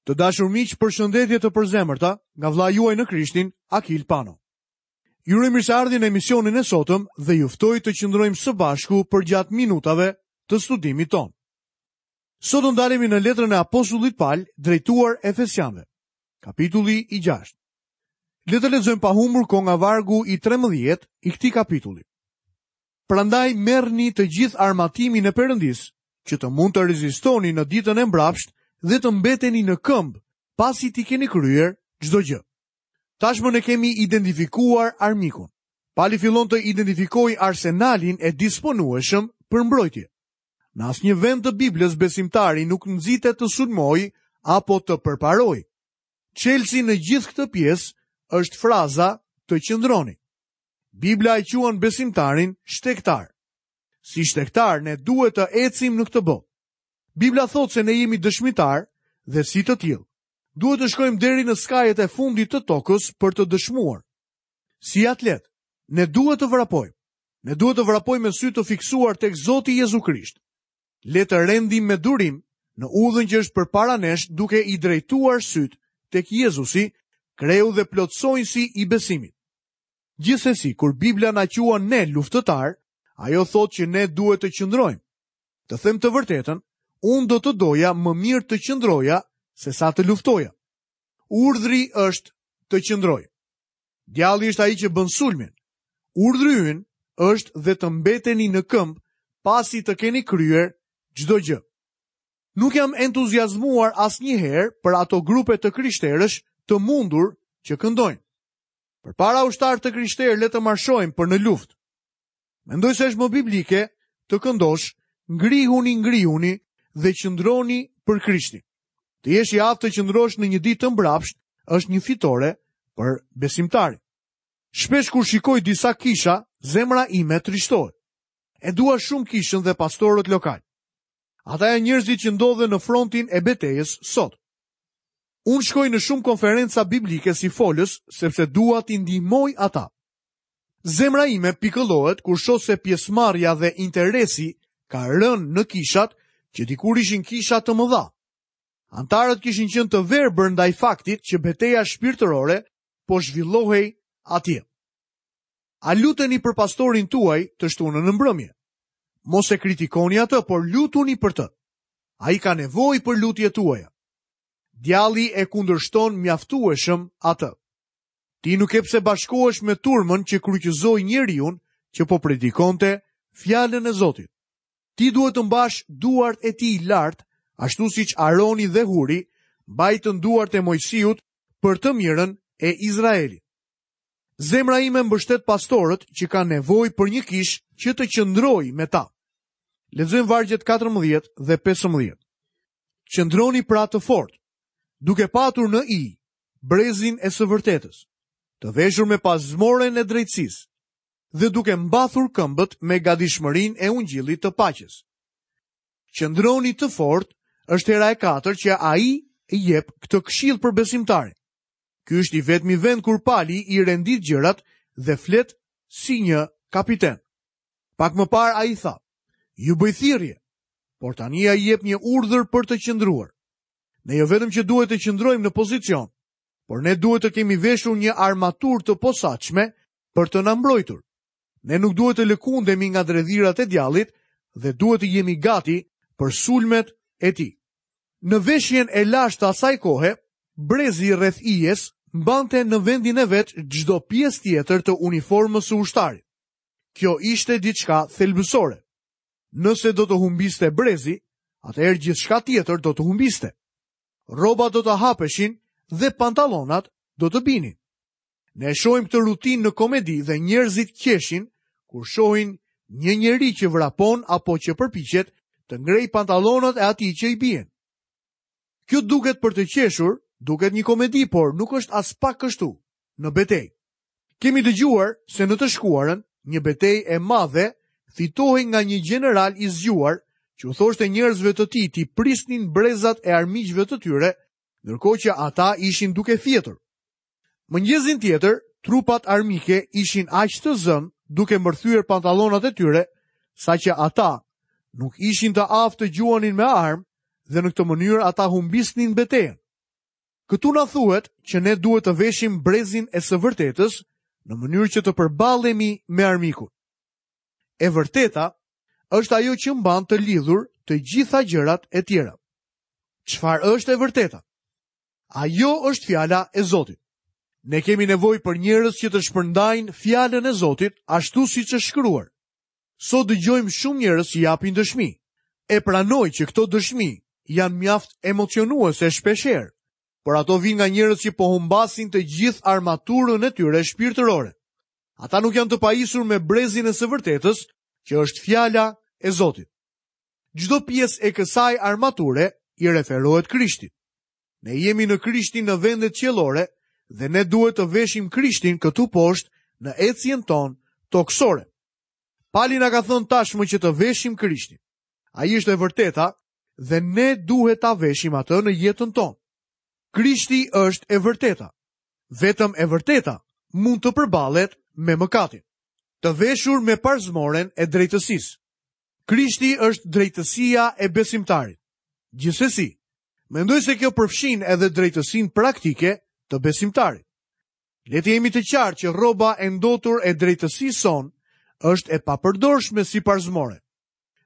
Të dashur miq, përshëndetje të përzemërta nga vëllai juaj në Krishtin, Akil Pano. Ju uroj mirëseardhje në emisionin e sotëm dhe ju ftoj të qëndrojmë së bashku përgjatë minutave të studimit tonë. Sot do ndalemi në letrën e apostullit Pal drejtuar Efesianëve, kapitulli i 6. Le të lexojmë pa humbur kohë nga vargu i 13 i këtij kapitulli. Prandaj merrni të gjithë armatimin e Perëndisë, që të mund të rezistoni në ditën e mbrapshtë dhe të mbeteni në këmbë, pasi t'i keni kryer çdo gjë. Tashmë ne kemi identifikuar armikun. Pali fillon të identifikojë arsenalin e disponueshëm për mbrojtje. Në asnjë vend të Biblës besimtari nuk nxitet të sulmojë apo të përparojë. Çelësi në gjithë këtë pjesë është fraza të qëndroni. Bibla e quan besimtarin shtegtar. Si shtegtar ne duhet të ecim në këtë botë. Bibla thotë se ne jemi dëshmitarë dhe si të tillë. Duhet të shkojmë deri në skajet e fundit të tokës për të dëshmuar. Si atletë, ne duhet të vrapojmë. Ne duhet të vrapojmë me sy të fiksuar tek Zoti Jezu Krisht. Le të rendim me durim në udhën që është përpara nesh duke i drejtuar sytë tek Jezusi, kreu dhe plotësonjësi i besimit. Gjithsesi, kur Bibla na quan ne luftëtarë, ajo thotë që ne duhet të qëndrojmë. Të them të vërtetën, unë do të doja më mirë të qëndroja sesa të luftoja. Urdhri është të qëndroj. Djalli është ai që bën sulmin. Urdhri ynë është dhe të mbeteni në këmbë pasi të keni kryer çdo gjë. Nuk jam entuziazmuar asnjëherë për ato grupe të krishterësh të mundur që këndojnë. Përpara ushtarë të krishterë le të marshojmë për në luftë. Mendoj se është më biblike të këndosh ngrihuni, ngrihuni dhe qëndroni për Krishtin. Të jesh i aftë të qëndrosh në një ditë të mbrapshtë është një fitore për besimtarin. Shpesh kur shikoj disa kisha, zemra ime trishtohet. E dua shumë kishën dhe pastorët lokalë. Ata janë njerëzit që ndodhen në frontin e betejës sot. Unë shkoj në shumë konferenca biblike si folës, sepse dua t'i ndihmoj ata. Zemra ime pikëllohet kur shoh se pjesëmarrja dhe interesi ka rënë në kishat që dikur ishin kisha të mëdha. Anëtarët kishin qenë të verbër ndaj faktit që beteja shpirtërore po zhvillohej atje. A luteni për pastorin tuaj të shtunën në mbrëmje? Mos e kritikoni atë, por lutuni për të. Ai ka nevojë për lutjet tuaja. Djalli e kundërshton mjaftueshëm atë. Ti nuk ke pse bashkohesh me turmën që kryqëzoi njeriun që po predikonte fjalën e Zotit. Ti duhet të mbash duart e tij lart, ashtu siç Aroni dhe Huri mbajtën duart e Moisiut për të mirën e Izraelit. Zemra ime mbështet pastorët që kanë nevojë për një kishë që të qëndrojë me ta. Lexojmë vargjet 14 dhe 15. Qëndroni pra të fortë, duke patur në ijë brezin e së vërtetës, të veshur me parzmoren e drejtësisë dhe duke mbathur këmbët me gatishmërinë e ungjillit të paqes. Qëndroni të fortë është hera e katërt që ai jep këtë këshillë për besimtarin. Ky është i vetmi vend kur Pali i rendit gjërat dhe flet si një kapiten. Pak më parë ai tha, ju bëj thirrje, por tani ai jep një urdhër për të qëndruar. Ne jo vetëm që duhet të qëndrojmë në pozicion, por ne duhet të kemi veshur një armaturë të posaçme për të na mbrojtur. Ne nuk duhet të lëkundemi nga dredhirat e djallit dhe duhet të jemi gati për sulmet e tij. Në veshjen e lashtë të asaj kohe, brezi rreth ijes mbante në vendin e vet çdo pjesë tjetër të uniformës së ushtarit. Kjo ishte diçka thelbësore. Nëse do të humbiste brezi, atëherë gjithçka tjetër do të humbiste. Rrobat do të hapeshin dhe pantallonat do të binin. Ne e shohim këtë rutinë në komedi dhe njerëzit qeshin kur shohin një njeri që vrapon apo që përpiqet të ngrejë pantallonat e atij që i bien. Kjo duket për të qeshur, duket një komedi, por nuk është aspak kështu në betejë. Kemi dëgjuar se në të shkuarën, një betejë e madhe fitohej nga një gjeneral i zgjuar që u thoshte njerëzve të tij t'i prisnin brezat e armiqve të tyre, ndërkohë që ata ishin duke fjetur. Mëngjesin tjetër, trupat armike ishin aq të zënë duke mbërthyer pantallonat e tyre, saqë ata nuk ishin të aftë të gjuanin me armë dhe në këtë mënyrë ata humbisnin betejën. Këtu na thuhet që ne duhet të veshim brezin e së vërtetës në mënyrë që të përballemi me armikun. E vërteta është ajo që mban të lidhur të gjitha gjërat e tjera. Çfarë është e vërteta? Ajo është fjala e Zotit. Ne kemi nevojë për njerëz që të shpërndajnë fjalën e Zotit ashtu siç është shkruar. Sot dëgjojmë shumë njerëz që japin dëshmi. E pranoj që këto dëshmi janë mjaft emocionuese shpeshherë, por ato vijnë nga njerëz që po humbasin të gjithë armaturën e tyre shpirtërore. Ata nuk janë të pajisur me brezin e së vërtetës, që është fjala e Zotit. Çdo pjesë e kësaj armature i referohet Krishtit. Ne jemi në Krishtin në vendet qiellore dhe ne duhet të veshim Krishtin këtu poshtë në ecjen tonë tokësore. Pali na ka thënë tashmë që të veshim Krishtin. Ai është e vërteta dhe ne duhet ta veshim atë në jetën tonë. Krishti është e vërteta. Vetëm e vërteta mund të përballet me mëkatin. Të veshur me parzmoren e drejtësisë. Krishti është drejtësia e besimtarit. Gjithsesi, mendoj se kjo përfshin edhe drejtësinë praktike të besimtarit. Le të jemi të qartë që rroba e ndotur e drejtësisë sonë është e papërdorshme si parzmore.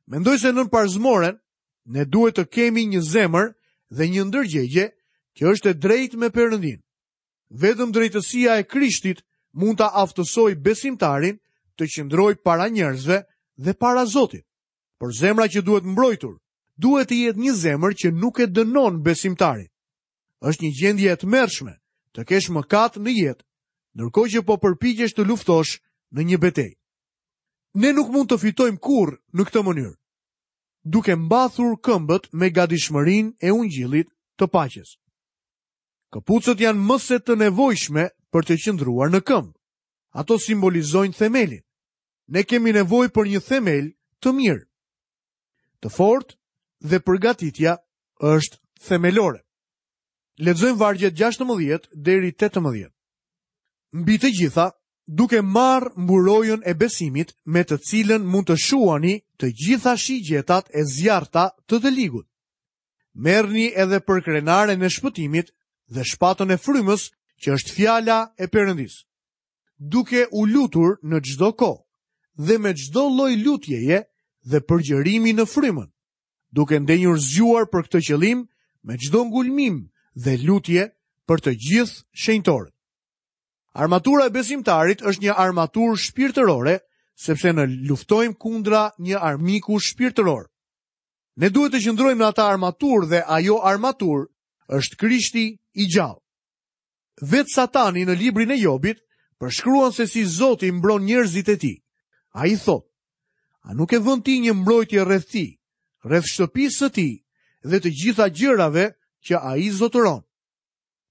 Mendoj se nën parzmoren ne duhet të kemi një zemër dhe një ndërgjegje që është e drejtë me Perëndinë. Vetëm drejtësia e Krishtit mund ta aftësojë besimtarin të qëndrojë para njerëzve dhe para Zotit. Por zemra që duhet mbrojtur, duhet të jetë një zemër që nuk e dënon besimtarin. Është një gjendje e tmerrshme të kesh mëkat në jetë, ndërkohë që po përpiqesh të luftosh në një betejë. Ne nuk mund të fitojmë kurrë në këtë mënyrë, duke mbathur këmbët me gatishmërinë e ungjillit të paqes. Këpucët janë më se të nevojshme për të qëndruar në këmbë. Ato simbolizojnë themelin. Ne kemi nevojë për një themel të mirë. Të fortë dhe përgatitja është themelore. Lexojmë vargjet 16 deri 18. Mbi të gjitha, duke marrë mburojën e besimit me të cilën mund të shuani të gjitha shigjetat e zjarrta të të ligut. Merrni edhe përkrenaren e shpëtimit dhe shpatën e frymës që është fjala e Perëndisë. Duke u lutur në çdo kohë dhe me çdo lloj lutjeje dhe përgjërimi në frymën, duke ndenjur zgjuar për këtë qëllim me çdo ngulmim dhe lutje për të gjithë shenjtorët. Armatura e besimtarit është një armaturë shpirtërore, sepse ne luftojmë kundra një armiku shpirtëror. Ne duhet të qëndrojmë në atë armaturë dhe ajo armaturë është Krishti i gjallë. Vetë Satani në librin e Jobit përshkruan se si Zoti mbron njerëzit e tij. Ai thotë, a nuk e vën ti një mbrojtje rreth tij, rreth shtëpisë së tij dhe të gjitha gjërave që ai zotëron?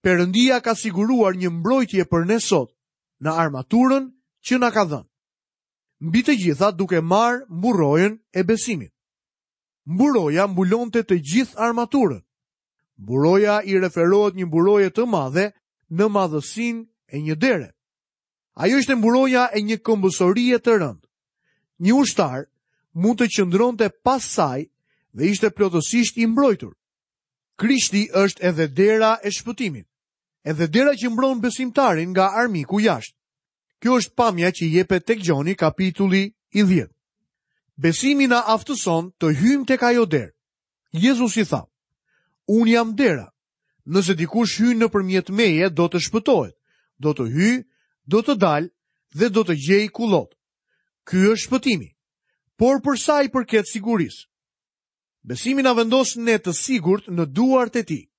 Perëndia ka siguruar një mbrojtje për ne sot në armaturën që na ka dhënë. Mbi të gjitha duke marrë mburojën e besimit. Mburoja mbulonte të gjithë armaturën. Mburoja i referohet një mburoje të madhe në madhësinë e një dere. Ajo ishte mburoja e një këmbësorie të rëndë. Një ushtar mund të qëndronte pas saj dhe ishte plotësisht i mbrojtur. Krishti është edhe dera e shpëtimit, edhe dera që mbron besimtarin nga armiku jashtë. Kjo është pamja që jepet tek Gjoni kapitulli i 10. Besimi na aftëson të hyjmë tek ajo derë. Jezusi tha, Unë jam dera. Nëse dikush hyn nëpërmjet meje, do të shpëtohet, do të hyjë, do të dalë dhe do të gjejë kullotë. Ky është shpëtimi. Por për sa i përket sigurisë, besimi na vendos ne të sigurt në duart e tij.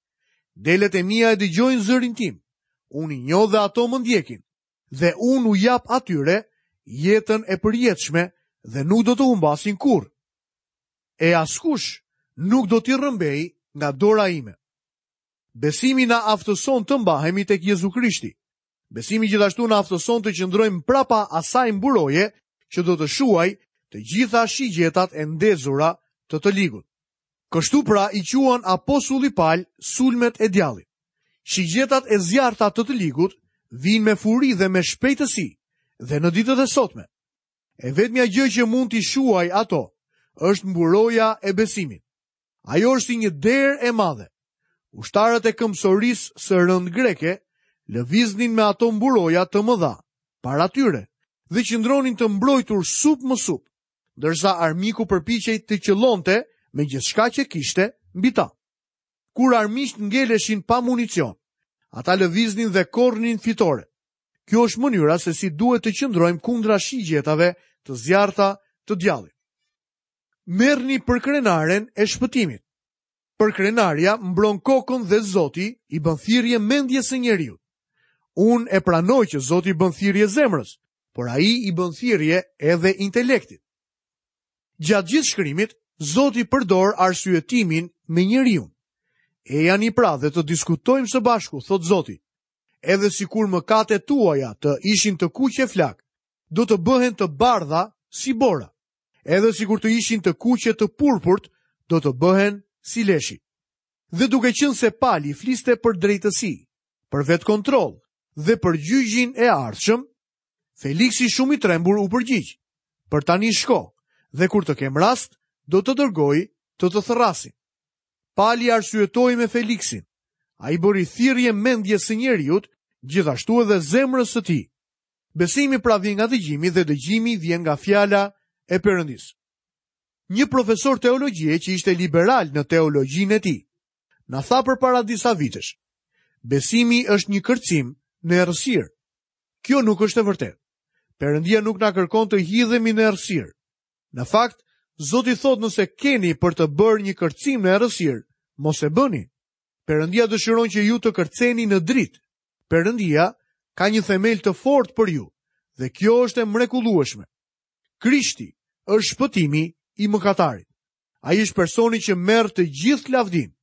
Delet e mia e dëgjojnë zërin tim. Unë i njoh dhe ato më ndjekin. Dhe unë u jap atyre jetën e përjetshme dhe nuk do të humbasin kurrë. E askush nuk do t'i rrëmbejë nga dora ime. Besimi na aftëson të mbahemi tek Jezu Krishti. Besimi gjithashtu na aftëson të qëndrojmë prapa asaj mburoje që do të shuajë të gjitha shigjetat e ndezura të të ligut. Kështu pra i quan apostulli Pal sulmet e djallit. Shigjetat e zjarrta të të ligut vijnë me furi dhe me shpejtësi dhe në ditët e sotme. E vetmja gjë që mund t'i shuajë ato është mburoja e besimit. Ajo është si një derë e madhe. Ushtarët e këmbësorisë së rëndë greke lëviznin me ato mburoja të mëdha para tyre dhe qëndronin të mbrojtur sup më sup, ndërsa armiku përpiqej të qëllonte me gjithçka që kishte mbi ta. Kur armiqtë ngeleshin pa municion, ata lëviznin dhe korrnin fitore. Kjo është mënyra se si duhet të qëndrojmë kundra shigjetave të zjarrta të djallit. Merrni përkrenaren e shpëtimit. Përkrenarja mbron kokën dhe Zoti i bën thirrje mendjes së njeriut. Unë e pranoj që Zoti i bën thirrje zemrës, por ai i bën thirrje edhe intelektit. Gjatë gjithë shkrimit, Zoti përdor arsyetimin me njeriun. Ejani pra dhe të diskutojmë së bashku, thotë Zoti. Edhe sikur mëkatet tuaja të ishin të kuqe flakë, do të bëhen të bardha si bora. Edhe sikur të ishin të kuqe të purpurt, do të bëhen si leshi. Dhe duke qenë se Pali fliste për drejtësi, për vetëkontroll dhe për gjyqin e ardhshëm, Feliksi shumë i trembur u përgjigj. Për tani shko, dhe kur të kem rast, do të dërgoj të të thërrasin. Pali arsyetoi me Feliksin. Ai bëri thirrje mendjes së njeriut, gjithashtu edhe zemrës së tij. Besimi pra vjen nga dëgjimi dhe dëgjimi vjen nga fjala e Perëndisë. Një profesor teologjie që ishte liberal në teologjinë e tij, na tha përpara disa vitesh, besimi është një kërcim në errësirë. Kjo nuk është e vërtetë. Perëndia nuk na kërkon të hidhemi në errësirë. Në fakt, Zoti thotë nëse keni për të bërë një kërcim në errësirë, mos e bëni. Perëndia dëshiron që ju të kërceni në dritë. Perëndia ka një themel të fortë për ju dhe kjo është e mrekullueshme. Krishti është shpëtimi i mëkatarit. Ai është personi që merr të gjithë lavdinë.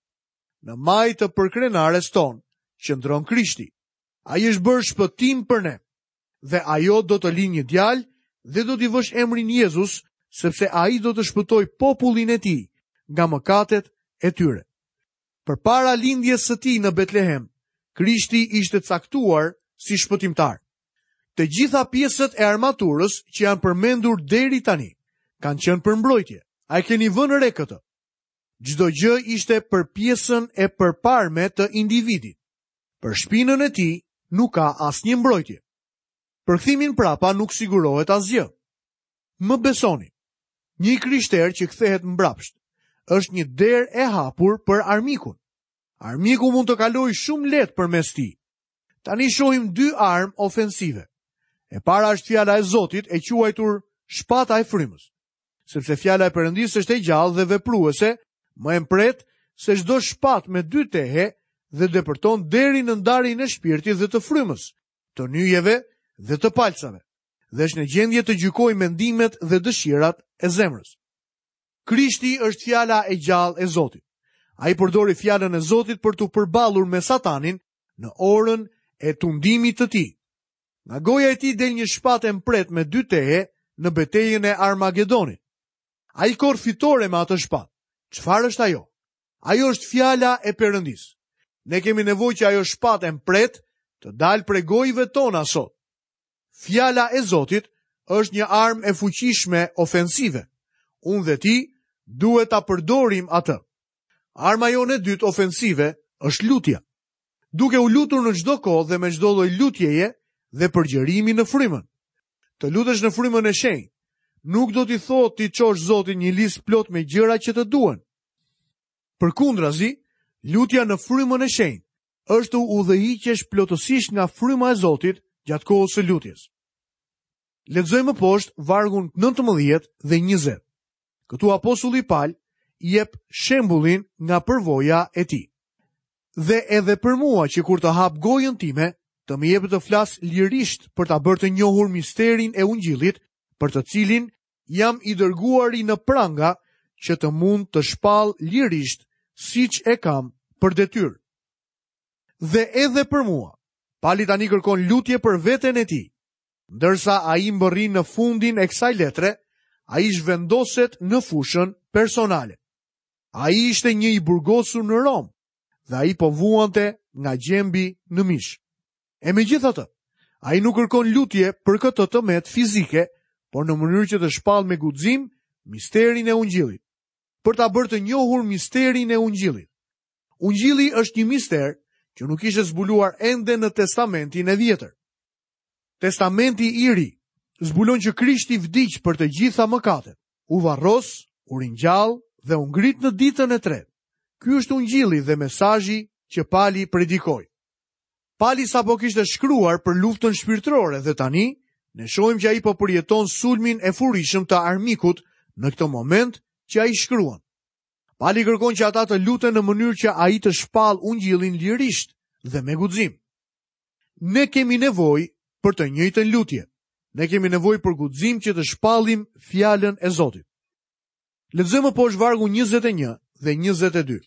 Në majë të përkrenares tonë qëndron Krishti. Ai është bërë shpëtim për ne. Dhe ajo do të lindë një djalë dhe do t'i vësh emrin Jezus, sepse ai do të shpëtojë popullin e tij nga mëkatet e tyre. Përpara lindjes së tij në Betlehem, Krishti ishte caktuar si shpëtimtar. Të gjitha pjesët e armaturës që janë përmendur deri tani kanë qenë për mbrojtje. A e keni vënë re këtë? Çdo gjë ishte për pjesën e përparme të individit. Për shpinën e tij nuk ka asnjë mbrojtje. Për kthimin prapa nuk sigurohet asgjë. Më besoni, një i krishterë që kthehet mbrapsht, është një derë e hapur për armikun. Armiku mund të kalojë shumë lehtë përmes tij. Tani shohim dy armë ofensive. E para është fjala e Zotit e quajtur shpata e frymës. Sepse fjala e Perëndisë është e gjallë dhe vepruese, më e mprehtë se çdo shpatë me dy tehe dhe depërton deri në ndarjen e shpirtit dhe të frymës, të nyjeve dhe të palcave, dhe është në gjendje të gjykojë mendimet dhe dëshirat e zemrës. Krishti është fjala e gjallë e Zotit. Ai përdori fjalën e Zotit për t'u përballur me Satanin në orën e tundimit të tij. Nga goja e tij del një shpatë e mprehtë me dy tehe në betejën e Armagedonit. Ai korr fitore me atë shpatë. Çfarë është ajo? Ajo është fjala e Perëndisë. Ne kemi nevojë që ajo shpatë e mprehtë të dalë prej gojëve tona sot. Fjala e Zotit është një armë e fuqishme ofensive. Unë dhe ti duhet ta përdorim atë. Arma jonë e dytë ofensive është lutja. Duke u lutur në çdo kohë dhe me çdo lloj lutjeje dhe përgjërimi në frymën. Të lutesh në frymën e shenjtë nuk do të thotë t'i çosh Zotit një listë plot me gjëra që të duhen. Përkundrazi, lutja në frymën e shenjtë është të udhëhiqesh plotësisht nga fryma e Zotit gjatë kohës së lutjes. Lexojmë më poshtë vargun 19 dhe 20. Këtu apostulli Pal jep shembullin nga përvoja e tij. Dhe edhe për mua që kur të hap gojën time, të më jepet të flas lirisht për ta bërë të njohur misterin e ungjillit, për të cilin jam i dërguari në pranga që të mund të shpall lirisht siç e kam për detyrë. Dhe edhe për mua, Pali tani kërkon lutje për veten e tij. Ndërsa ai mbërrin në fundin e kësaj letre, ai zhvendoset në fushën personale. Ai ishte një i burgosur në Romë dhe ai po vuante nga gjembi në mish. E megjithatë, ai nuk kërkon lutje për këtë të metë fizike, por në mënyrë që të shpallë me guxim misterin e ungjillit. Për ta bërë të njohur misterin e ungjillit. Ungjilli është një mister që nuk ishte zbuluar ende në Testamentin e Vjetër. Testamenti i Ri zbulon që Krishti vdiq për të gjitha mëkatet, u varros, u ringjall dhe u ngrit në ditën e tretë. Ky është ungjilli dhe mesazhi që Pali predikoi. Pali sapo kishte shkruar për luftën shpirtërore dhe tani ne shohim që ai po përjeton sulmin e furishëm të armikut në këtë moment që ai shkruan. Pali kërkon që ata të luten në mënyrë që ai të shpallë ungjillin lirisht dhe me guxim. Ne kemi nevojë për të njëjtën lutje. Ne kemi nevojë për guxim që të shpallim fjalën e Zotit. Lexojmë më poshtë vargun 21 dhe 22.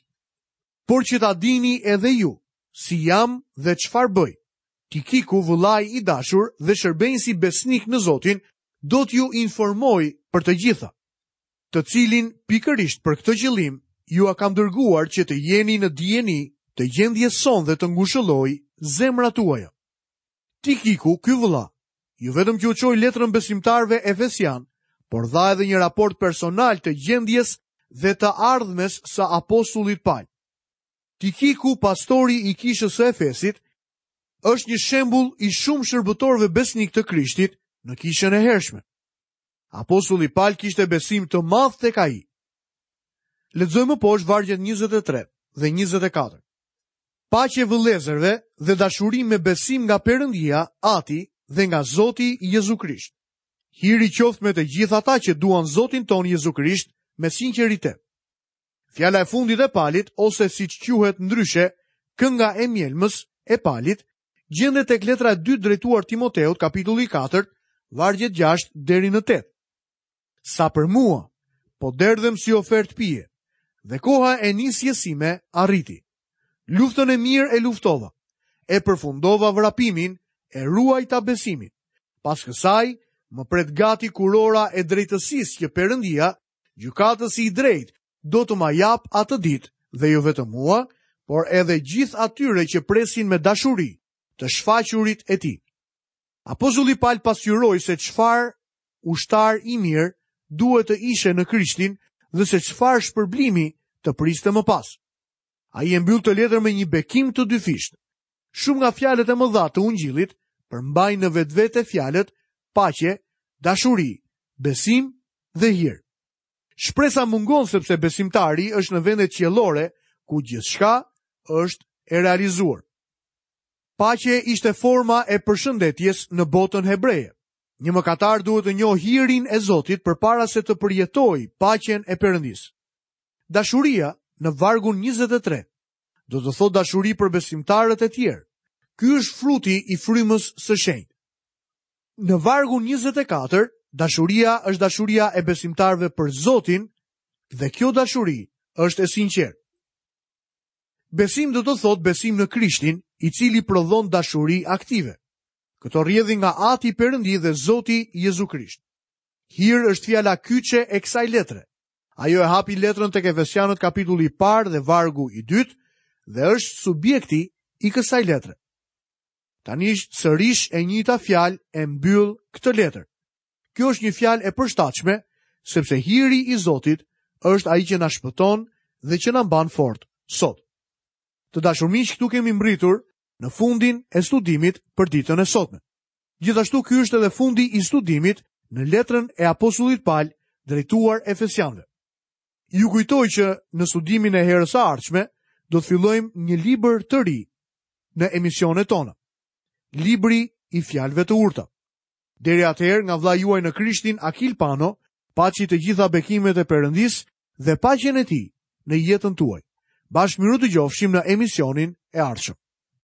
Por që ta dini edhe ju, si jam dhe çfarë bëj. Tikiku, vëllai i dashur dhe shërbenjësi besnik në Zotin, do t'ju informojë për të gjitha. Të cilin pikërisht për këtë qëllim jua kam dërguar që të jeni në dijeni të gjendjes sonë dhe të ngushëllojë zemrat tuaja. Tikiku, ky vëlla, jo vetëm që u çoi letrën besimtarëve efesianë, por dha edhe një raport personal të gjendjes dhe të ardhmes së apostullit Pal. Tikiku, pastori i kishës së Efesit, është një shembull i shumë shërbëtorëve besnikë të Krishtit në kishën e hershme. Apostulli Pal kishte besim të madh tek ai. Lexojmë më poshtë vargjet 23 dhe 24. Paqe vëllezërve dhe dashuri me besim nga Perëndia, Ati dhe nga Zoti Jezu Krisht. Hiri qoftë me të gjithë ata që duan Zotin tonë Jezu Krisht me sinqeritet. Fjala e fundit e Palit ose siç quhet ndryshe, kënga e mjelmës e Palit, gjendet tek letra e dytë drejtuar Timoteut, kapitulli 4, vargjet 6 deri në 8. Sa për mua, po derdhem si ofertë pije, dhe koha e nisjes sime arriti. Luftën e mirë e luftova, e përfundova vrapimin, e ruajta besimin. Pas kësaj, më pret gati kurora e drejtësisë që Perëndia, gjykatësi i drejtë, do të ma japë atë ditë dhe jo vetëm mua, por edhe gjithë atyre që presin me dashuri të shfaqurit e tij. Apostulli Pal pasqyroi se çfarë ushtar i mirë duhet të ishe në Krishtin dhe se çfarë shpërblimi të priste më pas. Ai e mbyll këtë letër me një bekim të dyfishtë. Shumë nga fjalët e mëdha të Ungjillit përmbajnë në vetvete fjalët paqe, dashuri, besim dhe hir. Shpresa mungon sepse besimtari është në vendet qiellore ku gjithçka është e realizuar. Paqe ishte forma e përshëndetjes në botën hebreje. Një mëkatar duhet të njohë hirin e Zotit përpara se të përjetojë paqen e Perëndisë. Dashuria në vargun 23 do të thotë dashuri për besimtarët e tjerë. Ky është fruti i frymës së shenjtë. Në vargun 24, dashuria është dashuria e besimtarëve për Zotin dhe kjo dashuri është e sinqertë. Besim do të thotë besim në Krishtin, i cili prodhon dashuri aktive. Këto rrjedhin nga Ati Perëndi dhe Zoti Jezu Krisht. Hir është fjala kyçe e kësaj letre. Ajo e hapi letrën tek Efesianët kapitulli i parë dhe vargu i dytë dhe është subjekti i kësaj letre. Tani sërish e njëjta fjalë e mbyll këtë letër. Kjo është një fjalë e përshtatshme, sepse hiri i Zotit është ai që na shpëton dhe që na mban fort sot. Të dashur miq, këtu kemi mbërritur në fundin e studimit për ditën e sotme. Gjithashtu ky është edhe fundi i studimit në letrën e apostullit Pal drejtuar Efesianëve. Ju kujtoj që në studimin e herës së ardhshme do të fillojmë një libër të ri në emisionet tona. Libri i fjalëve të urta. Deri atëherë nga vëllai juaj në Krishtin Akil Pano, paçi të gjitha bekimet e Perëndisë dhe paqen e tij në jetën tuaj. Bashkë mirudëgjofshim në emisionin e ardhshëm.